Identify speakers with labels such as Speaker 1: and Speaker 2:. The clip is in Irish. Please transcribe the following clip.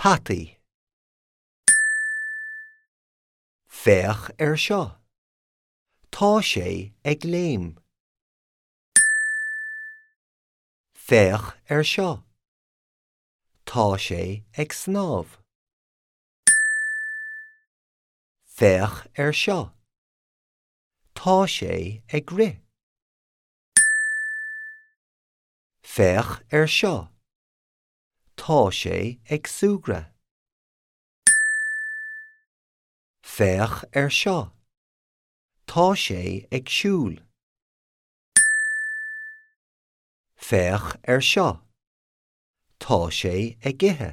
Speaker 1: Peataí. Féach air seo. Tá sé ag léim. Féach air seo. Tá sé ag snámh. Féach air seo. Tá sé ag rith. Féach air seo. Tá sé ag súgradh. Féach air seo. Tá sé ag siúl. Féach air seo. Tá sé ag ithe.